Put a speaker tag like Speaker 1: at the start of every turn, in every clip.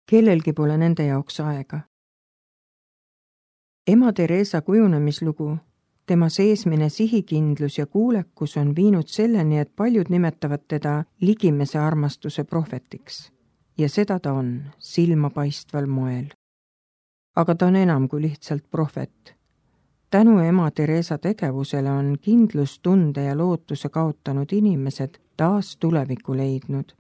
Speaker 1: kellelgi pole nende jaoks aega. Ema Teresa kujunemislugu, tema seesmine sihikindlus ja kuulekus on viinud selleni, et paljud nimetavad teda ligimese armastuse prohvetiks. Ja seda ta on, silmapaistval moel. Aga ta on enam kui lihtsalt prohvet. Tänu ema Teresa tegevusele on kindlustunde ja lootuse kaotanud inimesed taas tulevikku leidnud.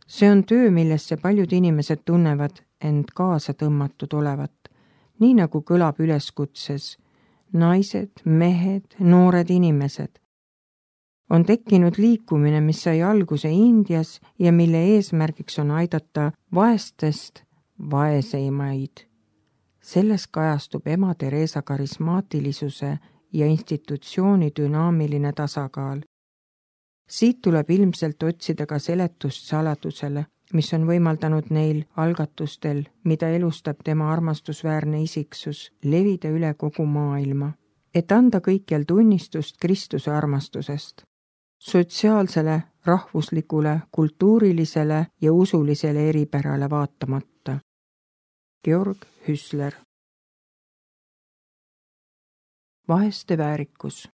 Speaker 1: See on töö, millesse paljud inimesed tunnevad end kaasa tõmmatud olevat, nii nagu kõlab üleskutses naised, mehed, noored inimesed. On tekkinud liikumine, mis sai alguse Indias ja mille eesmärgiks on aidata vaestest vaeseimaid. Selles kajastub ema Teresa karismaatilisuse ja institutsiooni dünaamiline tasakaal. Siit tuleb ilmselt otsida ka seletust saladusele, mis on võimaldanud neil algatustel, mida elustab tema armastusväärne isiksus, levida üle kogu maailma, et anda kõikjal tunnistust Kristuse armastusest, sotsiaalsele, rahvuslikule, kultuurilisele ja usulisele eripärale vaatamata. Georg Hüsler. Vaeste väärikus.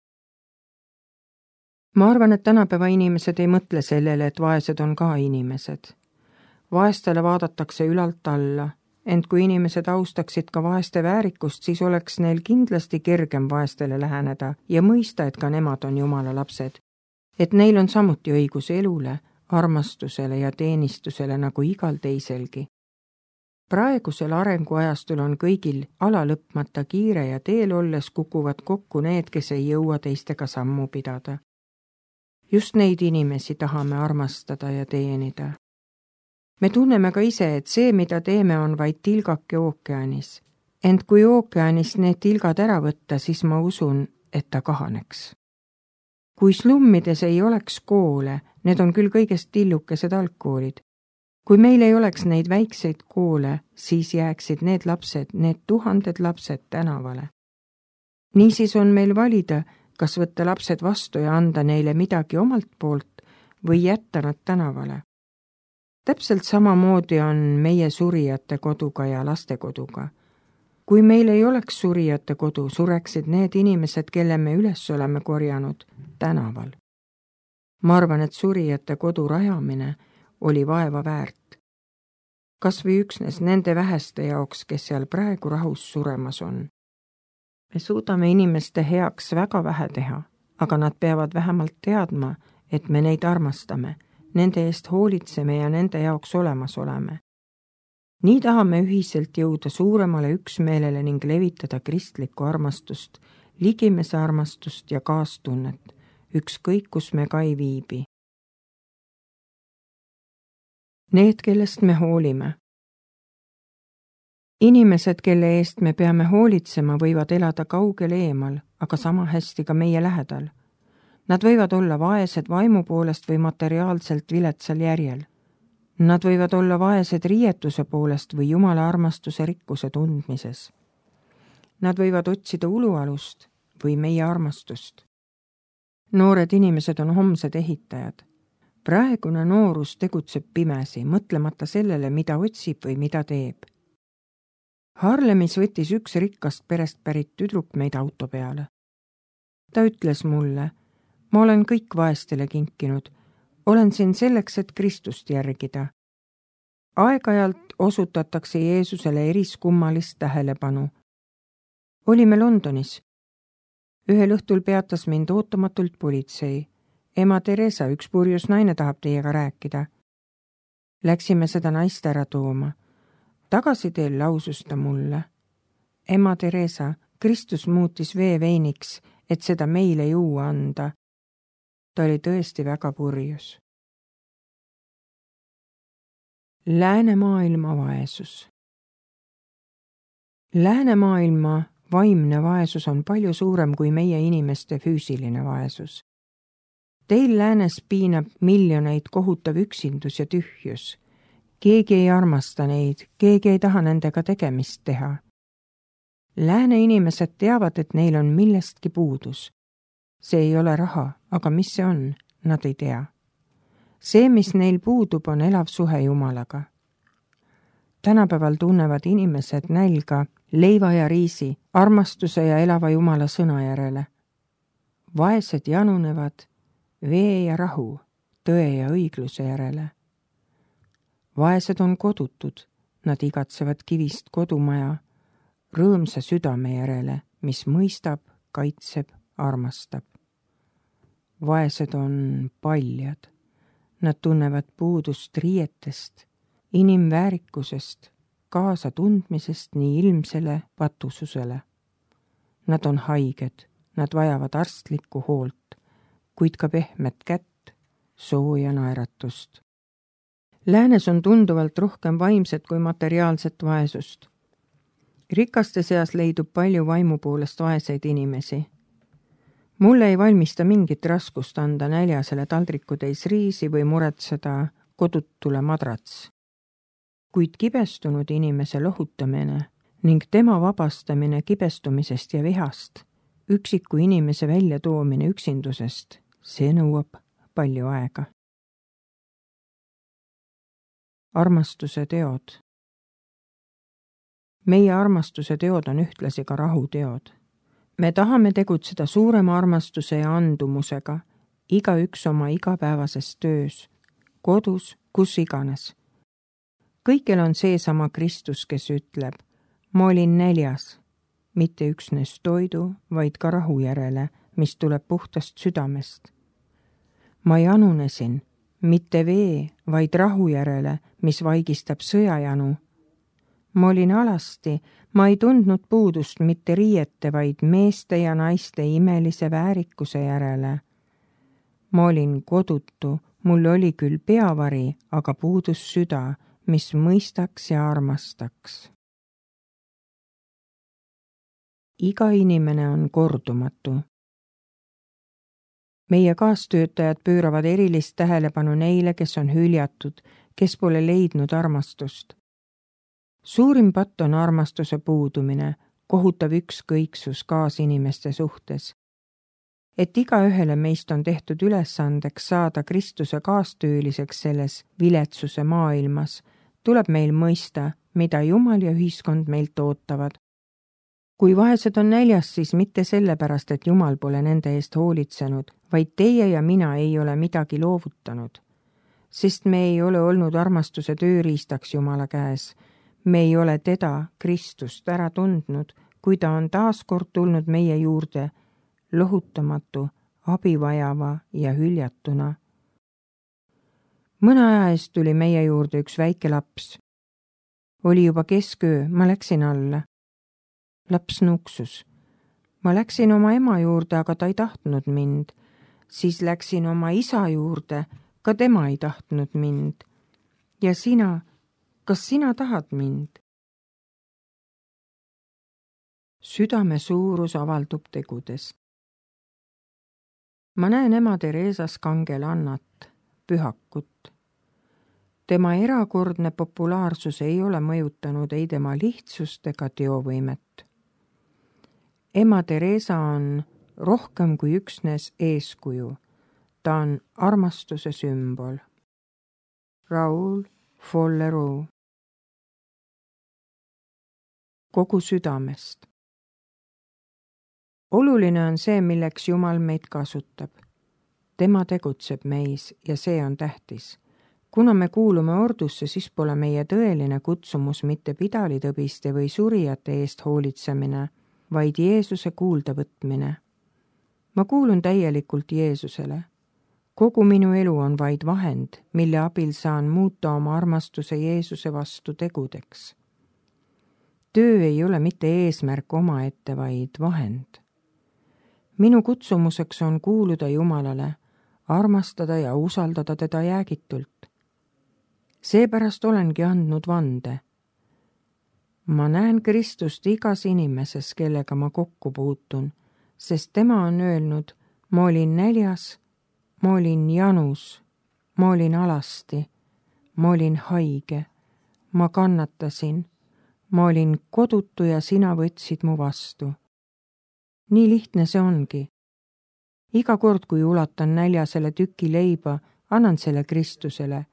Speaker 1: Ma arvan, et tänapäeva inimesed ei mõtle sellele, et vaesed on ka inimesed. Vaestele vaadatakse ülalt alla, ent kui inimesed austaksid ka vaeste väärikust, siis oleks neil kindlasti kergem vaestele läheneda ja mõista, et ka nemad on Jumala lapsed. Et neil on samuti õigus elule, armastusele ja teenistusele nagu igal teiselgi. Praegusel arenguajastul on kõigil alalõpmata kiire ja teel olles kukuvad kokku need, kes ei jõua teistega sammu pidada. Just neid inimesi tahame armastada ja teenida. Me tunneme ka ise, et see, mida teeme, on vaid tilgake ookeanis. Ent kui ookeanis need tilgad ära võtta, siis ma usun, et ta kahaneks. Kui slummides ei oleks koole, need on küll kõigest tillukesed algkoolid. Kui meil ei oleks neid väikseid koole, siis jääksid need lapsed, need tuhanded lapsed tänavale. Niisiis on meil valida, kas võtta lapsed vastu ja anda neile midagi omalt poolt või jätta nad tänavale. Täpselt samamoodi on meie surijate koduga ja lastekoduga. Kui meil ei oleks surijate kodu, sureksid need inimesed, kelle me üles oleme korjanud, tänaval. Ma arvan, et surijate kodu rajamine oli vaeva väärt. Kas või üksnes nende väheste jaoks, kes seal praegu rahus suremas on. Me suudame inimeste heaks väga vähe teha, aga nad peavad vähemalt teadma, et me neid armastame, nende eest hoolitseme ja nende jaoks olemas oleme. Nii tahame ühiselt jõuda suuremale üksmeelele ning levitada kristlikku armastust, ligimese armastust ja kaastunnet, ükskõik kus me ka ei viibi. Need, kellest me hoolime. Inimesed, kelle eest me peame hoolitsema, võivad elada kaugel eemal, aga sama hästi ka meie lähedal. Nad võivad olla vaesed vaimu poolest või materiaalselt viletsal järjel. Nad võivad olla vaesed riietuse poolest või Jumala armastuse rikkuse tundmises. Nad võivad otsida ulualust või meie armastust. Noored inimesed on homsed ehitajad. Praegune noorus tegutseb pimesi, mõtlemata sellele, mida otsib või mida teeb. Harlemis võttis üks rikkast perest pärit tüdruk meid auto peale. Ta ütles mulle, ma olen kõik vaestele kinkinud, olen siin selleks, et Kristust järgida. Aeg-ajalt osutatakse Jeesusele eriskummalist tähelepanu. Olime Londonis. Ühel õhtul peatas mind ootamatult politsei. Ema Teresa, üks purjus naine tahab teiega rääkida. Läksime seda naist ära tooma. Tagasiteel lausus ta mulle. Ema Teresa, Kristus muutis vee veiniks, et seda meile juua anda. Ta oli tõesti väga purjus. Läänemaailma vaesus. Läänemaailma vaimne vaesus on palju suurem kui meie inimeste füüsiline vaesus. Teil läänes piinab miljoneid kohutav üksindus ja tühjus. Keegi ei armasta neid, keegi ei taha nendega tegemist teha. Lääne inimesed teavad, et neil on millestki puudus. See ei ole raha, aga mis see on, nad ei tea. See, mis neil puudub, on elav suhe Jumalaga. Tänapäeval tunnevad inimesed nälga leiva ja riisi, armastuse ja elava Jumala sõna järele. Vaesed janunevad vee ja rahu, tõe ja õigluse järele. Vaesed on kodutud, nad igatsevad kivist kodumaja, rõõmsa südame järele, mis mõistab, kaitseb, armastab. Vaesed on paljad, nad tunnevad puudust riietest, inimväärikusest, kaasatundmisest nii ilmsele patususele. Nad on haiged, nad vajavad arstlikku hoolt, kuid ka pehmet kätt, sooja naeratust. Läänes on tunduvalt rohkem vaimset kui materiaalset vaesust. Rikaste seas leidub palju vaimu poolest vaeseid inimesi. Mulle ei valmista mingit raskust anda näljasele taldrikutäis riisi või muretseda kodutule madrats. Kuid kibestunud inimese lohutamine ning tema vabastamine kibestumisest ja vihast, üksiku inimese väljatoomine üksindusest, see nõuab palju aega. Armastuse teod. Meie armastuse teod on ühtlasi ka rahuteod. Me tahame tegutseda suurema armastuse ja andumusega, igaüks oma igapäevases töös, kodus, kus iganes. Kõikjal on seesama Kristus, kes ütleb, ma olin näljas, mitte üksnes toidu, vaid ka rahu järele, mis tuleb puhtast südamest. Ma janunesin, mitte vee, vaid rahu järele, mis vaigistab sõjajanu. Ma olin alasti, ma ei tundnud puudust mitte riiete, vaid meeste ja naiste imelise väärikuse järele. Ma olin kodutu, mul oli küll peavari, aga puudus süda, mis mõistaks ja armastaks. Iga inimene on kordumatu. Meie kaastöötajad pööravad erilist tähelepanu neile, kes on hüljatud, kes pole leidnud armastust. Suurim patt on armastuse puudumine, kohutav ükskõiksus kaasinimeste suhtes. Et igaühele meist on tehtud ülesandeks saada Kristuse kaastööliseks selles viletsuse maailmas, tuleb meil mõista, mida Jumal ja ühiskond meilt ootavad. Kui vaesed on näljas, siis mitte sellepärast, et Jumal pole nende eest hoolitsenud, vaid teie ja mina ei ole midagi loovutanud. Sest me ei ole olnud armastuse tööriistaks Jumala käes. Me ei ole teda, Kristust, ära tundnud, kui ta on taas kord tulnud meie juurde, lohutamatu, abivajava ja hüljatuna. Mõne aja eest tuli meie juurde üks väike laps. Oli juba kesköö, ma läksin alla. Laps nuksus. Ma läksin oma ema juurde, aga ta ei tahtnud mind. Siis läksin oma isa juurde, ka tema ei tahtnud mind. Ja sina, kas sina tahad mind? Südame suurus avaldub tegudes. Ma näen ema Teresas kangelannat, pühakut. Tema erakordne populaarsus ei ole mõjutanud ei tema lihtsust ega teovõimet. Ema Teresa on rohkem kui üksnes eeskuju. Ta on armastuse sümbol. Raoul Follereau. Kogu südamest. Oluline on see, milleks Jumal meid kasutab. Tema tegutseb meis ja see on tähtis. Kuna me kuulume ordusse, siis pole meie tõeline kutsumus mitte pidalitõbiste või surijate eest hoolitsemine, vaid Jeesuse kuuldavõtmine. Ma kuulun täielikult Jeesusele. Kogu minu elu on vaid vahend, mille abil saan muuta oma armastuse Jeesuse vastu tegudeks. Töö ei ole mitte eesmärk omaette, vaid vahend. Minu kutsumuseks on kuuluda Jumalale, armastada ja usaldada teda jäägitult. Seepärast olengi andnud vande. Ma näen Kristust igas inimeses, kellega ma kokku puutun, sest tema on öelnud, ma olin näljas, ma olin janus, ma olin alasti, ma olin haige, ma kannatasin, ma olin kodutu ja sina võtsid mu vastu. Nii lihtne see ongi. Iga kord, kui ulatan näljasele tüki leiba, annan selle Kristusele.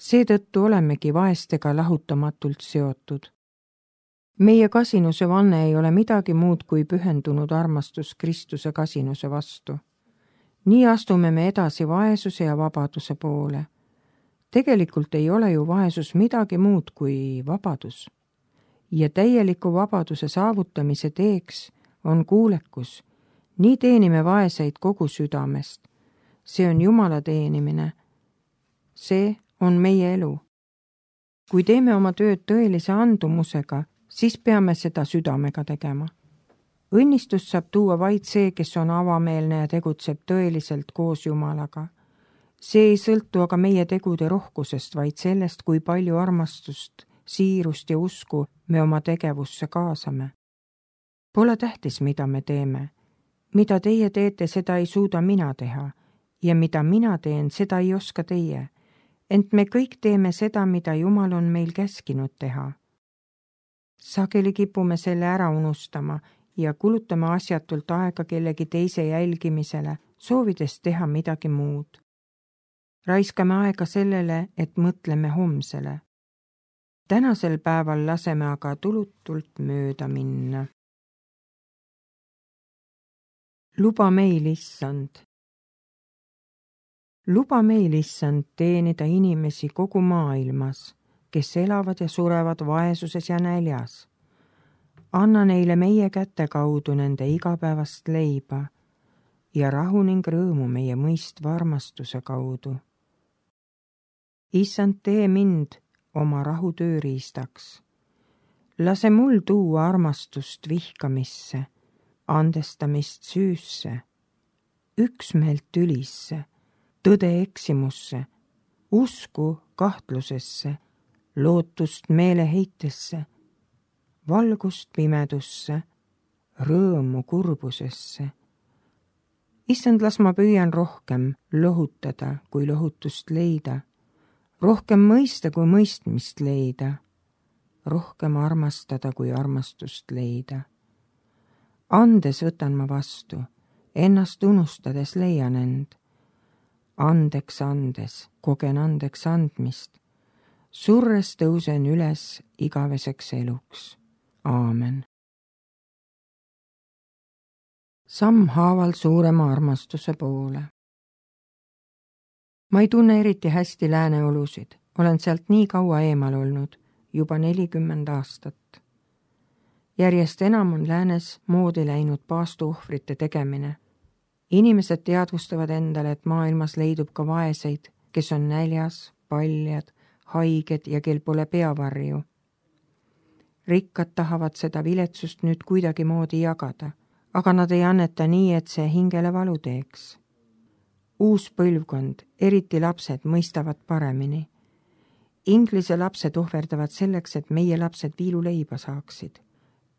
Speaker 1: Seetõttu olemegi vaestega lahutamatult seotud. Meie kasinuse vanne ei ole midagi muud kui pühendunud armastus Kristuse kasinuse vastu. Nii astume me edasi vaesuse ja vabaduse poole. Tegelikult ei ole ju vaesus midagi muud kui vabadus. Ja täieliku vabaduse saavutamise teeks on kuulekus. Nii teenime vaeseid kogu südamest. See on Jumala teenimine. See on meie elu. Kui teeme oma tööd tõelise andumusega, siis peame seda südamega tegema. Õnnistust saab tuua vaid see, kes on avameelne ja tegutseb tõeliselt koos Jumalaga. See ei sõltu aga meie tegude rohkusest, vaid sellest, kui palju armastust, siirust ja usku me oma tegevusse kaasame. Pole tähtis, mida me teeme. Mida teie teete, seda ei suuda mina teha. Ja mida mina teen, seda ei oska teie. Ent me kõik teeme seda, mida Jumal on meil käskinud teha. Sageli kipume selle ära unustama ja kulutame asjatult aega kellegi teise jälgimisele, soovides teha midagi muud. Raiskame aega sellele, et mõtleme homsele. Tänasel päeval laseme aga tulutult mööda minna. Luba meil, Issand. Luba meil, Issand, teenida inimesi kogu maailmas, kes elavad ja surevad vaesuses ja näljas. Anna neile meie käte kaudu nende igapäevast leiba ja rahu ning rõõmu meie mõistva armastuse kaudu. Issand, tee mind oma rahu tööriistaks. Lase mul tuua armastust vihkamisse, andestamist süüsse, üksmeelt tülisse, tõde eksimusse, usku kahtlusesse, lootust meeleheitesse, valgust pimedusse, rõõmu kurbusesse. Issand, las ma püüan rohkem lohutada, kui lohutust leida, rohkem mõista, kui mõistmist leida, rohkem armastada, kui armastust leida. Andes võtan ma vastu, ennast unustades leian end. Andeks andes, kogen andeks andmist. Surres tõusen üles igaveseks eluks. Aamen. Sammhaaval suurema armastuse poole. Ma ei tunne eriti hästi lääne olusid. Olen sealt nii kaua eemal olnud, juba 40 aastat. Järjest enam on läänes moodi läinud paastuohvrite tegemine. Inimesed teadvustavad endale, et maailmas leidub ka vaeseid, kes on näljas, paljad, haiged ja kel pole peavarju. Rikkad tahavad seda viletsust nüüd kuidagi moodi jagada, aga nad ei anneta nii, et see hingele valu teeks. Uus põlvkond, eriti lapsed, mõistavad paremini. Inglise lapsed ohverdavad selleks, et meie lapsed viiluleiba saaksid.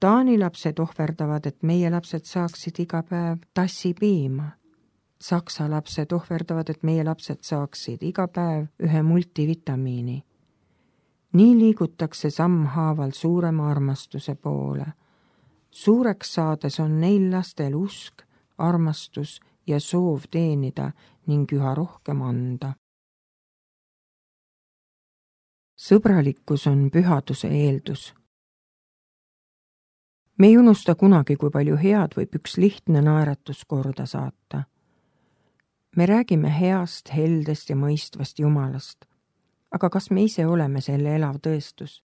Speaker 1: Taani lapsed ohverdavad, et meie lapsed saaksid iga päev tassipiima. Saksa lapsed ohverdavad, et meie lapsed saaksid iga päev ühe multivitamiini. Nii liigutakse sammhaaval suurema armastuse poole. Suureks saades on neil lastel usk, armastus ja soov teenida ning üha rohkem anda. Sõbralikkus on pühaduse eeldus. Me ei unusta kunagi, kui palju head võib üks lihtne naeratus korda saata. Me räägime heast, heldest ja mõistvast Jumalast. Aga kas me ise oleme selle elav tõestus?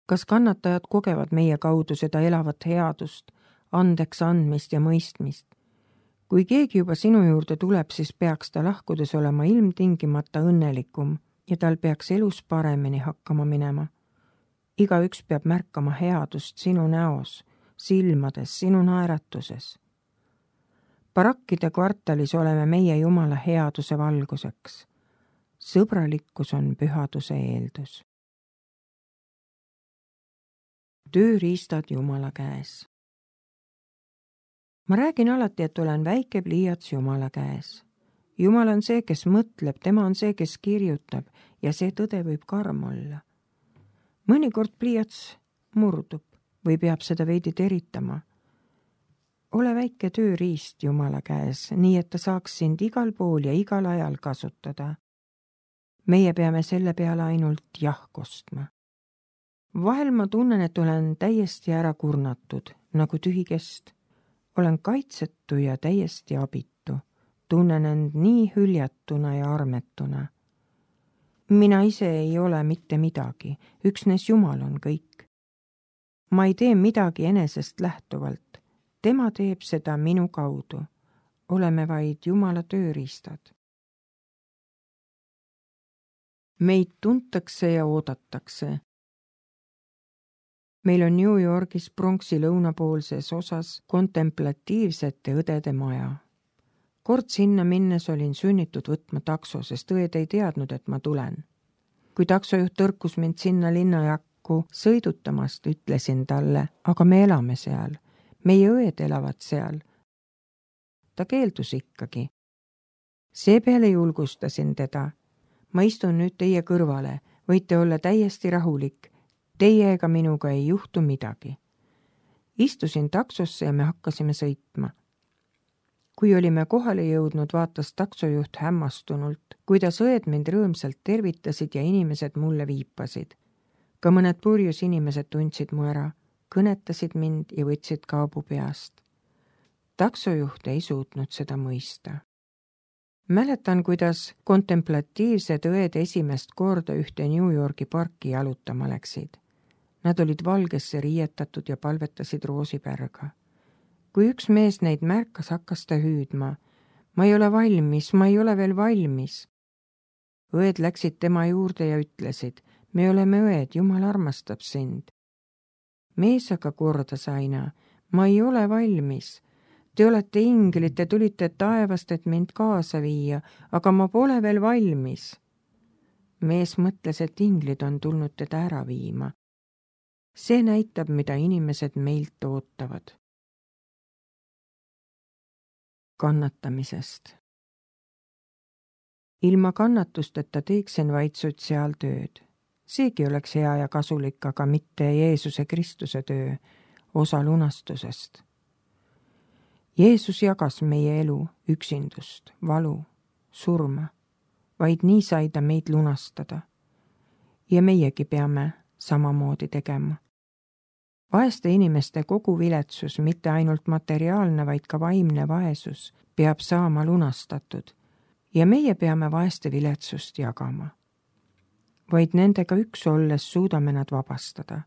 Speaker 1: Kas kannatajad kogevad meie kaudu seda elavat headust, andeks andmist ja mõistmist? Kui keegi juba sinu juurde tuleb, siis peaks ta lahkudes olema ilmtingimata õnnelikum ja tal peaks elus paremini hakkama minema. Igaüks peab märkama headust sinu näos, silmades, sinu naeratuses. Barakkide kvartalis oleme meie Jumala headuse valguseks. Sõbralikkus on pühaduse eeldus. Tööriistad Jumala käes. Ma räägin alati, et olen väike pliiats Jumala käes. Jumal on see, kes mõtleb, tema on see, kes kirjutab ja see tõde võib karm olla. Mõnikord pliiats murdub või peab seda veidi teritama. Ole väike tööriist Jumala käes, nii et ta saaks sind igal pool ja igal ajal kasutada. meie peame selle peale ainult jah kostma. Vahel ma tunnen, et olen täiesti ära kurnatud, nagu tühi kest. Olen kaitsetu ja täiesti abitu. Tunnen end nii hüljatuna ja armetuna. Mina ise ei ole mitte midagi, üksnes Jumal on kõik. Ma ei tee midagi enesest lähtuvalt. Tema teeb seda minu kaudu. Oleme vaid Jumala tööriistad. Meid tuntakse ja oodatakse. Meil on New Yorgis Bronxi lõunapoolses osas kontemplatiivsete õdede maja. Kord sinna minnes olin sunnitud võtma takso, sest õed ei teadnud, et ma tulen. Kui taksojuht tõrkus mind sinna linnajakku sõidutamast, ütlesin talle, aga me elame seal. Meie õed elavad seal. Ta keeldus ikkagi. Seepeale julgustasin teda. Ma istun nüüd teie kõrvale, võite olla täiesti rahulik. Teie ega minuga ei juhtu midagi. Istusin taksosse ja me hakkasime sõitma. Kui olime kohale jõudnud, vaatas taksojuht hämmastunult, kuidas õed mind rõõmsalt tervitasid ja inimesed mulle viipasid. Ka mõned purjus inimesed tundsid mu ära, kõnetasid mind ja võtsid kaabu peast. Taksojuht ei suutnud seda mõista. Mäletan, kuidas kontemplatiivsed õed esimest korda ühte New Yorgi parki jalutama läksid. Nad olid valgesse riietatud ja palvetasid roosipärga. Kui üks mees neid märkas, hakkas ta hüüdma. Ma ei ole valmis, ma ei ole veel valmis. Õed läksid tema juurde ja ütlesid, me oleme õed, Jumal armastab sind. Mees aga kordas aina, ma ei ole valmis. Te olete inglid, te tulite taevast, et mind kaasa viia, aga ma pole veel valmis. Mees mõtles, et inglid on tulnud teda ära viima. See näitab, mida inimesed meilt ootavad. Kannatamisest. Ilma kannatusteta teeksin vaid sotsiaaltööd. Seegi oleks hea ja kasulik, aga mitte Jeesuse Kristuse töö, osa lunastusest. Jeesus jagas meie elu, üksindust, valu, surma. Vaid nii sai ta meid lunastada. Ja meiegi peame samamoodi tegema. Vaeste inimeste kogu viletsus, mitte ainult materiaalne, vaid ka vaimne vaesus, peab saama lunastatud ja meie peame vaeste viletsust jagama. Vaid nendega üks olles suudame nad vabastada.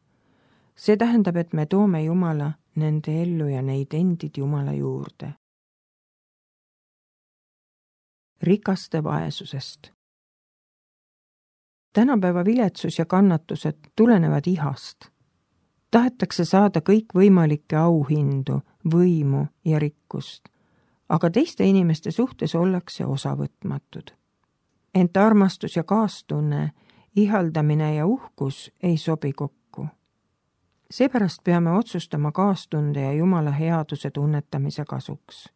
Speaker 1: See tähendab, et me toome Jumala nende ellu ja neid endid Jumala juurde. Rikaste vaesusest. Tänapäeva viletsus ja kannatused tulenevad ihast. Tahetakse saada kõikvõimalikke auhindu, võimu ja rikkust, aga teiste inimeste suhtes ollakse osavõtmatud. Ent armastus ja kaastunne, ihaldamine ja uhkus ei sobi kokku. Seepärast peame otsustama kaastunde ja Jumala headuse tunnetamise kasuks.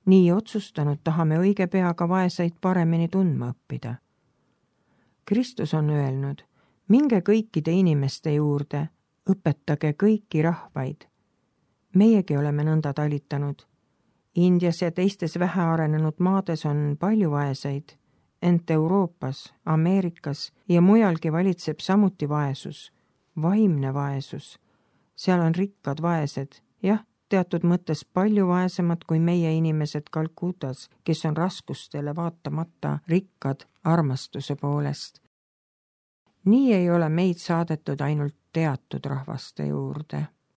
Speaker 1: Nii otsustanud tahame õige pea ka vaeseid paremini tundma õppida. Kristus on öelnud, minge kõikide inimeste juurde, õpetage kõiki rahvaid. Meiegi oleme nõnda talitanud. Indias ja teistes vähearenenud maades on palju vaeseid, ent Euroopas, Ameerikas ja mujalgi valitseb samuti vaesus, vaimne vaesus. Seal on rikkad vaesed, jah, teatud mõttes palju vaesemad kui meie inimesed Kalkutas, kes on raskustele vaatamata rikkad armastuse poolest. Nii ei ole meid saadetud ainult teatud rahvaste juurde.